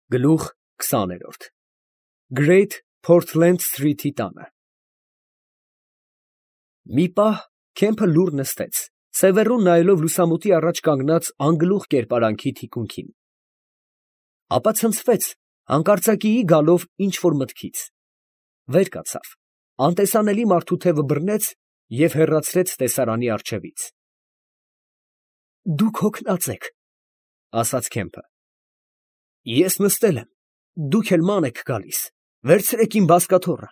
Գլուխ 20-րդ Great Portland Street-ի տանը։ Մի պահ Քեմփը լուռ նստեց, սևեռուն նայելով լուսամուտի առաջ կանգնած անգլուխ կերպարանքի թիկունքին։ Ապա ցնցվեց հանկարծակիի գալով ինչ֊որ մտքից, վեր կացավ, անտեսանելի մարդու թևը բռնեց և հեռացրեց տեսարանի առջևից։ «Դուք հոգնած եք, ֊ ասաց Քեմփը։ Ես նստել եմ, դուք էլ ման եք գալիս, վերցրեք իմ բազկաթոռը։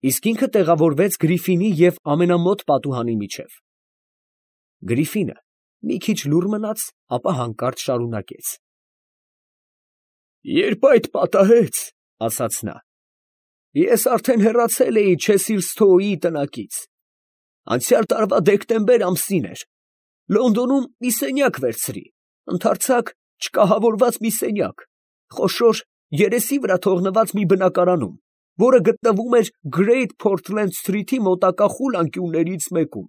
Իսկ ինքը տեղավորվեց Գրիֆինի և ամենամոտ պատուհանի միջև։ Գրիֆինը մի քիչ լուռ մնաց, ապա հանկարծ շարունակեց. «Երբ այդ պատահեց, ֊ ասաց նա, ֊ ես արդեն հեռացել էի Չեսիլսթոուի տնակից. անցյալ տարվա դեկտեմբեր ամսին էր, Լոնդոնում մի սենյակ վերցրի, ընդարձակ չկահավորված մի սենյակ, խոշոր երեսի վրա թողնված մի բնակարանում, որը գտնվում էր Great Portland Street-ի մոտակա խուլ անկյուններից մեկում։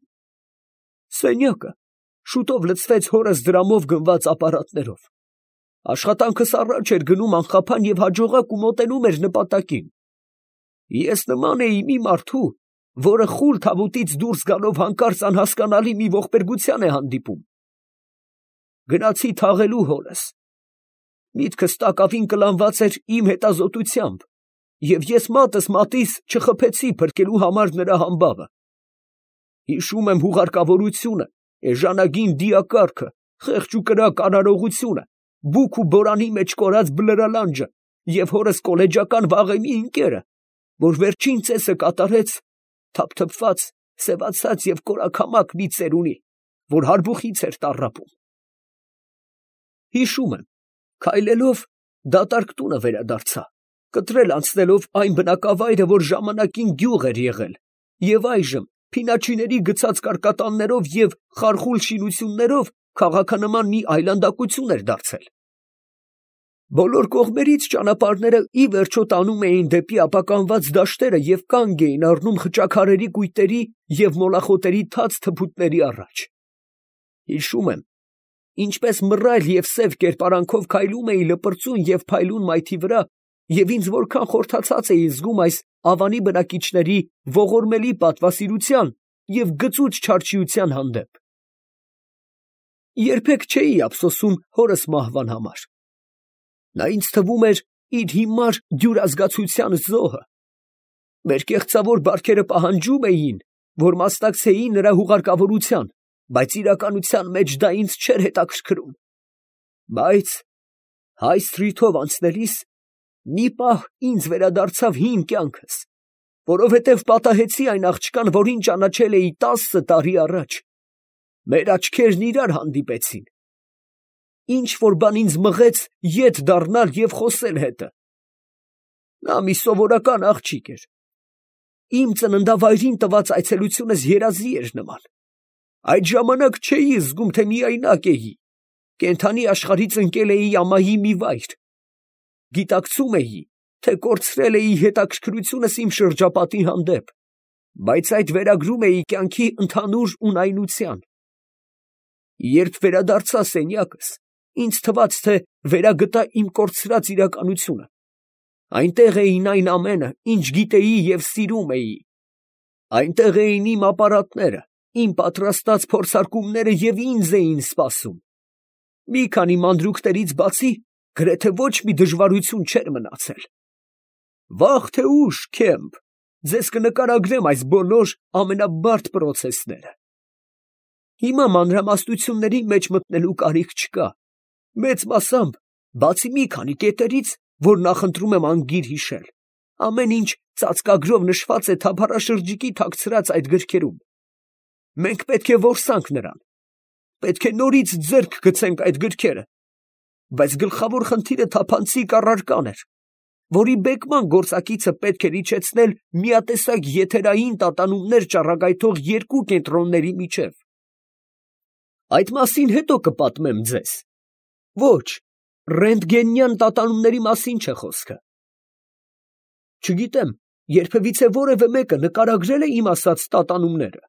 Սենյակը շուտով լցվեց հորս դրամով գնված ապարատներով։ Աշխատանքս առաջ էր գնում անխափան և հաջողակ ու մոտենում էր նպատակին։ Ես նման էի մի մարդու, որը խուլ թավուտից դուրս գալով հանկարծ անհասկանալի մի ողբերգության է հանդիպում։ Գնացի թաղելու հորս։ Միտքս տակավին կլանված էր իմ հետազոտությամբ, և ես մատս մատիս չխփեցի փրկելու համար նրա համբավը։ Հիշում եմ հուղարկավորությունը, էժանագին դիակառքը, խեղճ ու կրակ արարողությունը, բուք ու բորանի մեջ կորած բլրալանջը և հորս կոլեջական վաղեմի ընկերը, որ վերջին ծեսը կատարեց թափթփված, սևացած և կորաքամակ մի ծերունի, որ հարբուխից էր տառապում։ Հիշում եմ, քայլելով դատարկ տունը վերադարձա, կտրել անցնելով այն բնակավայրը, որ ժամանակին գյուղ էր եղել, և այժմ փինաչիների գցած կարկատաններով և խարխուլ շինություններով քաղաքանման մի այլանդակություն էր դարձել։ Բոլոր կողմերից ճանապարհները ի վերջո տանում էին դեպի ապականված դաշտերը և կանգ էին առնում խճաքարերի կույտերի և մոլախոտերի թաց թփուտների առաջ։ Հիշում եմ, ինչպես մռայլ և սև կերպարանքով քայլում էի լպրծուն և փայլուն մայթի վրա և ինձ որքան խորթացած էի զգում այս ավանի բնակիչների ողորմելի պատվասիրության և գծուծ չարչիության հանդեպ։ Երբեք չէի ափսոսում հորս մահվան համար։ Նա ինձ թվում էր իր հիմար դյուրազգացության զոհը։ Մեր կեղծավոր բարքերը պահանջում էին, որ մասնակցեի նրա հուղարկավորության, բայց իրականության մեջ դա ինձ չէր հետաքրքրում։ Բայց Հայ սթրիթով անցնելիս մի պահ ինձ վերադարձավ հին կյանքս, որովհետև պատահեցի այն աղջկան, որին ճանաչել էի 10 տարի առաջ։ Մեր աչքերն իրար հանդիպեցին։ Ինչ֊որ բան ինձ մղեց ետ դառնալ և խոսել հետը։ Նա մի սովորական աղջիկ էր։ Իմ ծննդավայրին տված այցելությունս երազի էր նման։ Այդ ժամանակ չէի զգում, թե միայնակ էի, կենդանի աշխարհից ընկել էի ամայի մի վայր։ Գիտակցում էի, թե կորցրել էի հետաքրքրությունս իմ շրջապատի հանդեպ, բայց այդ վերագրում էի կյանքի ընդհանուր ունայնության։ Երբ վերադարձա սենյակս, ինձ թվաց, թե վերագտա իմ կորցրած իրականությունը։ Այնտեղ էին այն ամենը, ինչ գիտեի և սիրում էի։ Այնտեղ էին իմ ապարատները, իմ պատրաստած փորձարկումները և ինձ էին սպասում։ Մի քանի մանրուքներից բացի գրեթե ոչ մի դժվարություն չէր մնացել։ Վաղ թե ուշ, Քեմփ, ձեզ կնկարագրեմ այս բոլոր ամենաբարդ պրոցեսները։ Հիմա մանրամասնությունների մեջ մտնելու կարիք չկա, մեծ մասամբ, բացի մի քանի կետերից, որ նախընտրում եմ անգիր հիշել, ամեն ինչ ծածկագրով նշված է թափառաշրջիկի թաքցրած այդ գրքերում։ Մենք պետք է որսանք նրան, պետք է նորից ձեռք գցենք այդ գրքերը, բայց գլխավոր խնդիրը թափանցիկ առարկան էր, որի բեկման գործակիցը պետք էր իջեցնել միատեսակ եթերային տատանումներ ճառագայթող երկու կենտրոնների միջև։ Այդ մասին հետո կպատմեմ ձեզ։ Ոչ, ռենտգենյան տատանումների մասին չէ խոսքը։ Չգիտեմ, երբևիցե որևէ մեկը նկարագրել է իմ ասած տատանումները։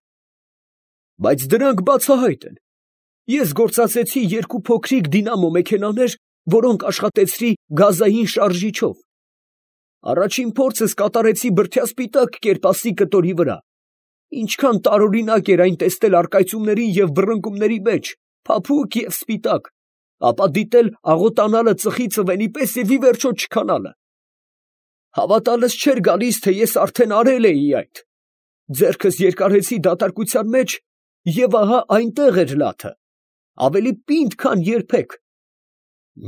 Բայց դրանք բացահայտ են։ Ես գործածեցի երկու փոքրիկ դինամո մեքենաներ որոնք աշխատեցրի գազային շարժիչով։ Առաջին փորձս կատարեցի բրդյասպիտակ կերպասի կտորի վրա։ Ինչքան տարօրինակ էր այն տեսնել առկայծումների և բռնկումների մեջ, փափուկ և սպիտակ, ապա դիտել աղոտանալը ծխի ծվենի պես և ի վերջո չքանալը։ Հավատալս չէր գալիս, թե ես արդեն արել էի այդ։ Ձեռքս երկարեցի դատարկության մեջ, և ահա այնտեղ էր լաթը, ավելի պինդ, քան երբեք։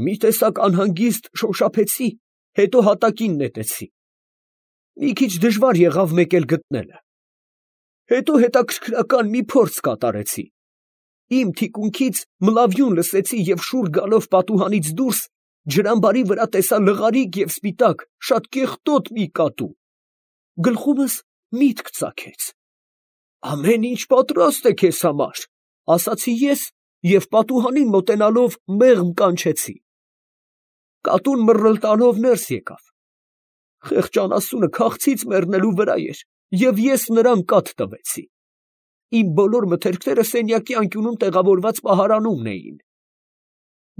Մի տեսակ անհանգիստ շոշափեցի, հետո հատակին նետեցի։ Մի քիչ դժվար եղավ մեկ էլ գտնելը։ Հետո հետաքրքրական մի փորձ կատարեցի։ Իմ թիկունքից մլավյուն լսեցի և շուռ գալով պատուհանից դուրս ջրամբարի վրա տեսա լղարիկ և սպիտակ, շատ կեղտոտ մի կատու։ Գլխումս միտք ծագեց. «Ամեն ինչ պատրաստ է քեզ համար», ասացի ես և պատուհանին մոտենալով մեղմ կանչեցի։ Կատուն մռլտալով ներս եկավ։ Խեղճ անասունը քաղցից մեռնելու վրա էր, և ես նրան կաթ տվեցի։ Իմ բոլոր մթերքները սենյակի անկյունում տեղավորված պահարանումն էին։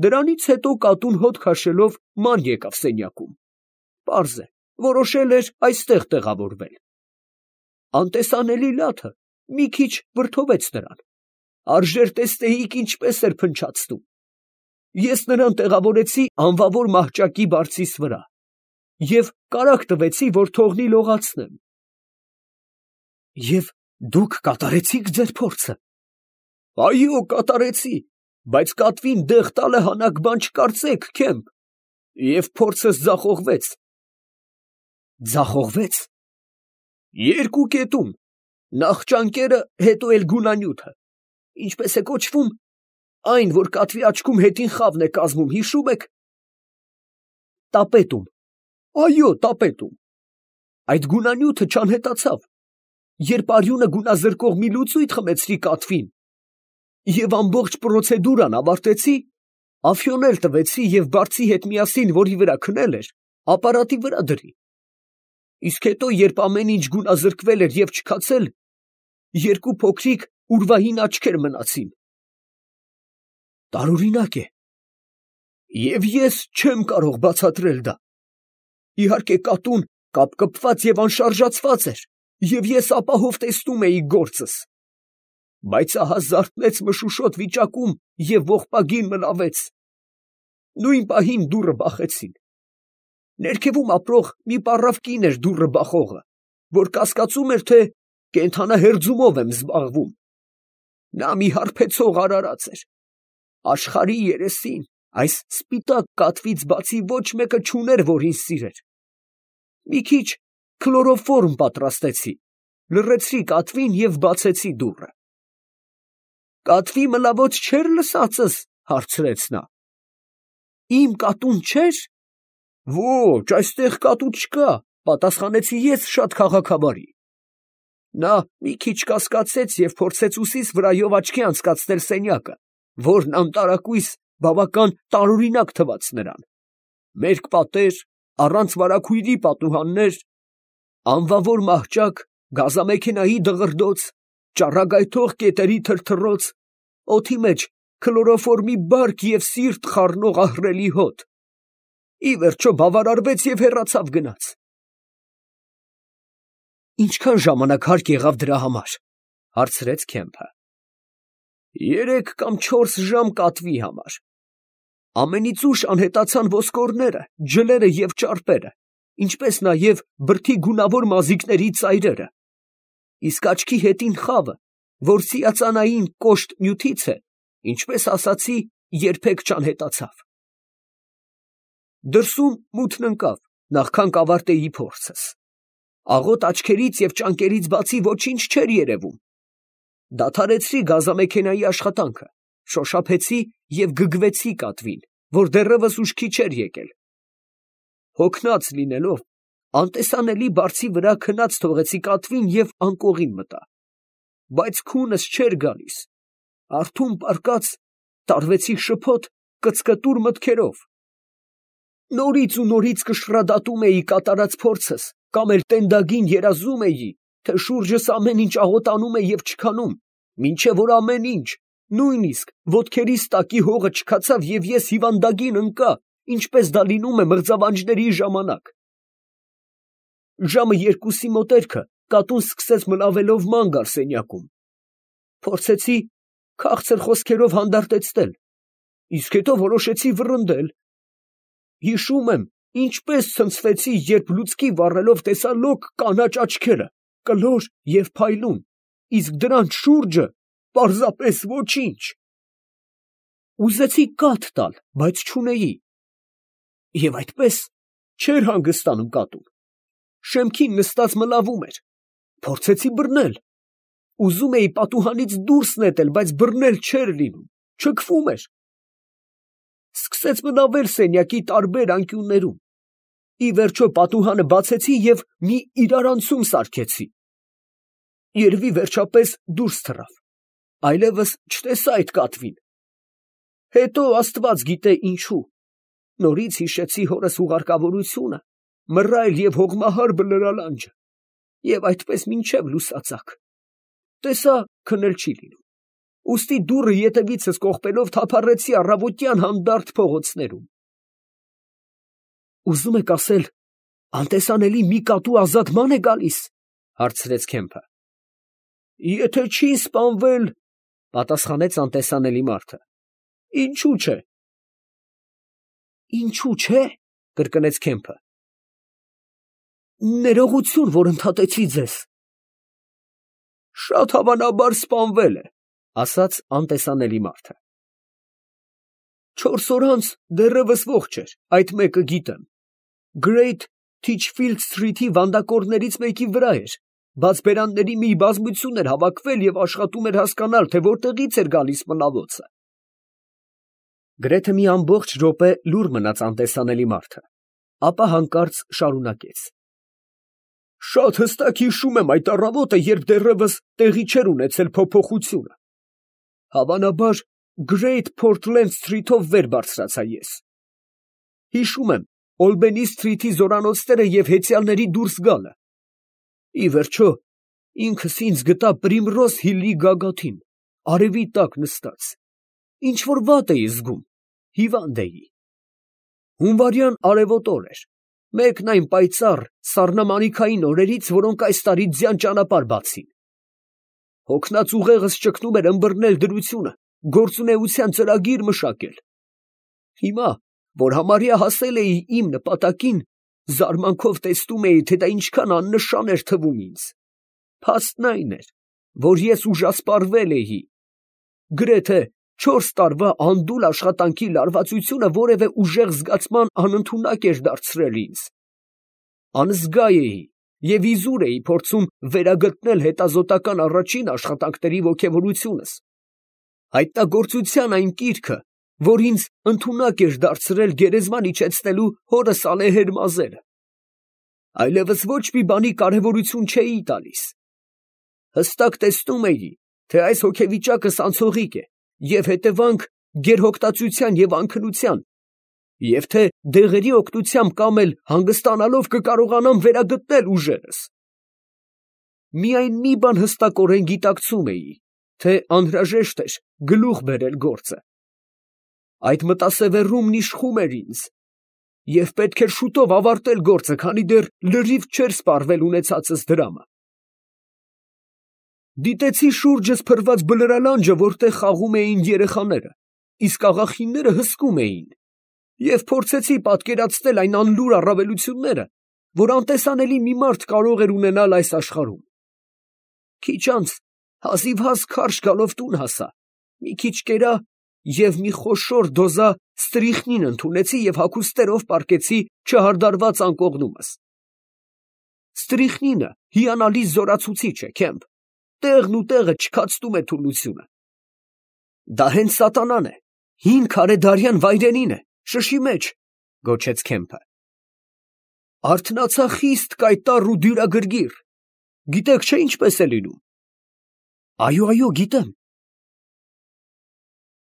Դրանից հետո կատուն հոտ քաշելով ման եկավ սենյակում։ Պարզ է, որոշել էր այստեղ տեղավորվել։ Անտեսանելի լաթը մի քիչ վրդովեց նրան։ Արժեր տեսնեիք ինչպես էր փնչացնում։ Ես նրան տեղավորեցի անվավոր մահճակի բարձիս վրա և կարագ տվեցի, որ թողնի լողացնեմ։ Եվ դուք կատարեցիք ձեր փորձը։ Այո, կատարեցի, բայց կատվին դեղ տալը հանաք բան չկարծեք, Քեմփ, և փորձս ձախողվեց։ Ձախողվե՞ց։ Երկու կետում, նախ ճանկերը, հետո էլ գունանյութը, ինչպես է կոչվում, այն, որ կատվի աչքում հետին խավն է կազմում, հիշում եք։ Տապետում։ Այո, տապետում։ Այդ գունանյութը չանհետացավ, երբ արյունը գունազրկող մի լուծույթ խմեցրի կատվին և ամբողջ պրոցեդուրան ավարտեցի, ափիոնել տվեցի և բարձի հետ միասին, որի վրա քնել էր, ապարատի վրա դրի։ Իսկ հետո, երբ ամեն ինչ գունազրկվել էր և չքացել, երկու փոքրիկ ուրվահին աչքեր մնացին։ Տարօրինակ է։ Եվ ես չեմ կարող բացատրել դա։ Իհարկե, կատուն կապկպված և անշարժացված էր, և ես ապահով տեսնում էի գործս։ Բայց ահա զարթնեց մշուշոտ վիճակում և ողբագին մլավեց։ Նույն պահին դուռը բախեցին։ Ներքևում ապրող մի պառավ կին էր դուռը բախողը, որ կասկածում էր, թե կենդանահերձումով եմ զբաղվում։ Նա մի հարբեցող արարած էր։ Աշխարհի երեսին այս սպիտակ կատվից բացի ոչ մեկը չուներ, որ ինձ սիրեր։ Մի քիչ քլորոֆորմ պատրաստեցի, լռեցրի կատվին և բացեցի դուռը։ Կատվի մլավոց չէր լսածս, հարցրեց նա։ Իմ կատուն չէր։ Ոչ, այստեղ կատու չկա, պատասխանեցի ես շատ քաղաքավարի։ Նա մի քիչ կասկածեց և փորձեց ուսիս վրայով աչքի անցկացնել սենյակը, որն անտարակույս բավական տարօրինակ թվաց նրան։ Մերկ պատեր, առանց վարագույրի պատուհաններ, անվավոր մահճակ, գազամեքենայի դղրդոց, ճառագայթող կետերի թրթռոց, օդի մեջ քլորոֆորմի բարք և սիրտ խառնող ահռելի հոտ։ Ի վերջո բավարարվեց և հեռացավ գնաց։ Ինչքան ժամանակ հարկ եղավ դրա համար, հարցրեց Քեմփը։ 3 կամ 4 ժամ կատվի համար։ Ամենից ուշ անհետացան ոսկորները, ջլերը և ճարպերը, ինչպես նաև բրդի գունավոր մազիկների ծայրերը։ Իսկ աչքի հետին խավը, որ սիացանային կոշտ նյութից է, ինչպես ասացի, երբեք չանհետացավ։ Դրսում մութն ընկավ, նախքան կավարտեի փորձս։ Աղոտ աչքերից և ճանկերից բացի ոչինչ չէր երևում։ Դադարեցրի գազամեքենայի աշխատանքը, շոշափեցի և գգվեցի կատվին, որ դեռևս ուշքի չէր եկել։ Հոգնած լինելով, անտեսանելի բարձի վրա քնած թողեցի կատվին և անկողին մտա։ Բայց քունս չէր գալիս։ Արթուն պառկած, տարվեցի շփոթ, կծկտուր մտքերով։ Նորից ու նորից կշռադատում էի կատարած փորձս, կամ էլ տենդագին երազում էի, թե շուրջս ամեն ինչ աղոտանում է և չքանում, մինչև որ ամեն ինչ, Նույնիսկ ոտքերիս տակի հողը չքացավ և ես հիվանդագին ընկա, ինչպես դա լինում է մղձավանջների ժամանակ։ Ժամը 2-ի մոտերքը կատուն սկսեց մլավելով ման գալ սենյակում։ Փորձեցի քաղցր խոսքերով հանդարտեցնել, իսկ հետո որոշեցի վռնդել։ Հիշում եմ, ինչպես ցնցվեցի, երբ լուցկի վառելով տեսա լոկ կանաչ աչքերը, կլոր և փայլուն, իսկ դրանց շուրջը պարզապես ոչինչ։ Ուզեցի կաթ տալ, բայց չունեի։ Եվ այդպես չէր հանգստանում կատուն։ Շեմքին նստած մլավում էր։ Փորձեցի բռնել։ Ուզում էի պատուհանից դուրս նետել, բայց բռնել չէր լինում, չքվում էր։ Սկսեց մլավել սենյակի տարբեր անկյուններում։ Ի վերջո պատուհանը բացեցի և մի իրարանցում սարքեցի։ Երևի վերջապես դուրս թռավ, այլևս չտեսա այդ կատվին։ Հետո Աստված գիտե ինչու, նորից հիշեցի հորս ուղարկավորությունը, մռայլ և հողմահար բլրալանջը, և այդպես մինչև լուսածակ։ Տեսա քնել չի լինում, ուստի դուռը ետևիցս կողպելով թափառեցի առավոտյան հանդարտ փողոցներում։ Ուզում եք ասել, անտեսանելի մի կատու ազատման է գալիս, հարցրեց Քեմփը։ Եթե չի սպանվել, պատասխանեց անտեսանելի մարդը, ինչու չէ։ Ինչու չէ, կրկնեց Քեմփը։ Ներողություն, որ ընդհատեցի ձեզ։ Շատ հավանաբար սպանվել է, ասաց անտեսանելի մարդը։ 4 օր անց դեռևս ողջ էր, այդ մեկը գիտեմ։ Great Titchfield Street-ի վանդակորներից մեկի վրա էր, բաց բերանների մի բազմություն էր հավաքվել և աշխատում էր հասկանալ, թե որտեղից էր գալիս մլավոցը։ Գրեթե մի ամբողջ րոպե լուռ մնաց անտեսանելի մարդը, ապա հանկարծ շարունակեց. Շատ հստակ հիշում եմ այդ առավոտը, երբ դեռևս տեղի չէր ունեցել փոփոխությունը։ Հավանաբար Great Portland Street-ով վեր բարձրացա ես։ Հիշում եմ Olbany Street-ի զորանոցները և հեծյալների դուրս գալը։ Ի վերջո, ինքս ինձ գտա Primrose Hill-ի գագաթին, արևի տակ նստած։ Ինչ-որ վատ էի զգում, հիվանդ էի։ Հունվարյան արևոտ օր էր, մեկն այն պայծառ սառնամանիքային օրերից, որոնք այս տարի ձյան ճանապարհ բացին։ Հոգնած ուղեղս ճգնում էր ըմբռնել դրությունը, գործունեության ծրագիր մշակել։ Հիմա, որ համարյա հասել էի իմ նպատակին, զարմանքով տեսնում էի, թե դա ինչքան աննշան էր թվում ինձ։ Փաստն այն էր, որ ես ուժասպառվել էի։ Գրեթե 4 տարվա անդուլ աշխատանքի լարվածությունը որևէ ուժեղ զգացման անընդունակ էր դարձրել ինձ։ Անզգա էի և իզուր էի փորձում վերագտնել հետազոտական առաջին աշխատանքների ոգևորությունս, հայտնագործության այն կիրքը, որ ինձ ընդունակ էր դարձրել գերեզման իջեցնելու հորս ալեհեր մազերը։ Այլևս ոչ մի բանի կարևորություն չէի տալիս։ Հստակ տեսնում էի, թե այս հոգեվիճակս անցողիկ է և հետևանք գերհոգտածության և անքնության, և թե դեղերի օգնությամբ կամ էլ հանգստանալով կկարողանամ վերագտնել ուժերս։ Միայն մի բան հստակորեն գիտակցում էի, թե անհրաժեշտ էր գլուխ բերել գործը։ Այդ մտասևեռումն իշխում էր ինձ, և պետք էր շուտով ավարտել գործը, քանի դեռ լրիվ չէր սպառվել ունեցածս դրամը։ Դիտեցի շուրջս փռված բլրալանջը, որտեղ խաղում էին երեխաները, իսկ աղախինները հսկում էին, և փորձեցի պատկերացնել այն անլուր առավելությունները, որ անտեսանելի մի մարդ կարող էր ունենալ այս աշխարհում։ Քիչ անց հազիվհազ քարշ գալով տուն հասա, մի քիչ կերա և մի խոշոր դոզա ստրիխնին ընդունեցի և հագուստերով պառկեցի չհարդարված անկողնումս։ Ստրիխնինը հիանալի զորացուցիչ է, Քեմփ, տեղն ու տեղը չքացնում է թուլությունը։ Դա հենց սատանան է, հին քարեդարյան վայրենին է, շշի մեջ, գոչեց Քեմփը։ Արթնացա խիստ կայտառ ու դյուրագրգիռ։ Գիտեք չէ ինչպես է լինում։ Այո, գիտեմ,